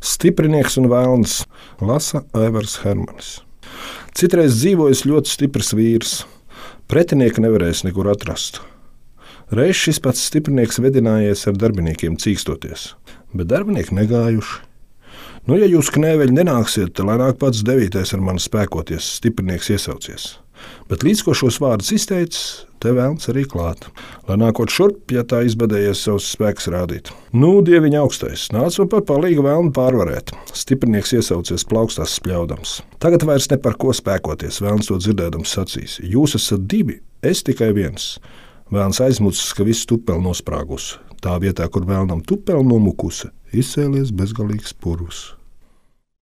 Stiprinieks un vēlns, lasa Aivars Hermanis. Citreiz dzīvojis ļoti stiprs vīrs. Pretinieka nevarēs nekur atrast. Reiz šis pats stiprinieks vedinājies ar darbiniekiem cīkstoties, bet darbinieki negājuši. Nu, ja jūs knēveļi nenāksiet, tad lai nāk pats 9. ar mani spēkoties, stiprinieks iesaucies. Bet līdz ko šos vārdus izteicis, te vēlns arī klāt. Lai nākot šurp, ja tā izbadējies savus spēkus rādīt. Nu, dieviņa augstais, nāc man par palīgu vēlnu pārvarēt. Stiprinieks iesaucies plaukstās spļaudams. Tagad vairs ne par ko spēkoties, vēlns to dzirdēdams sacīs. Jūs esat 2, es tikai 1. Vēlns aizmucis, ka viss tupeli nosprāgus. Tā vietā, kur vēlnam tupeli nomukusi, izcēlies bezgalīgs purvs.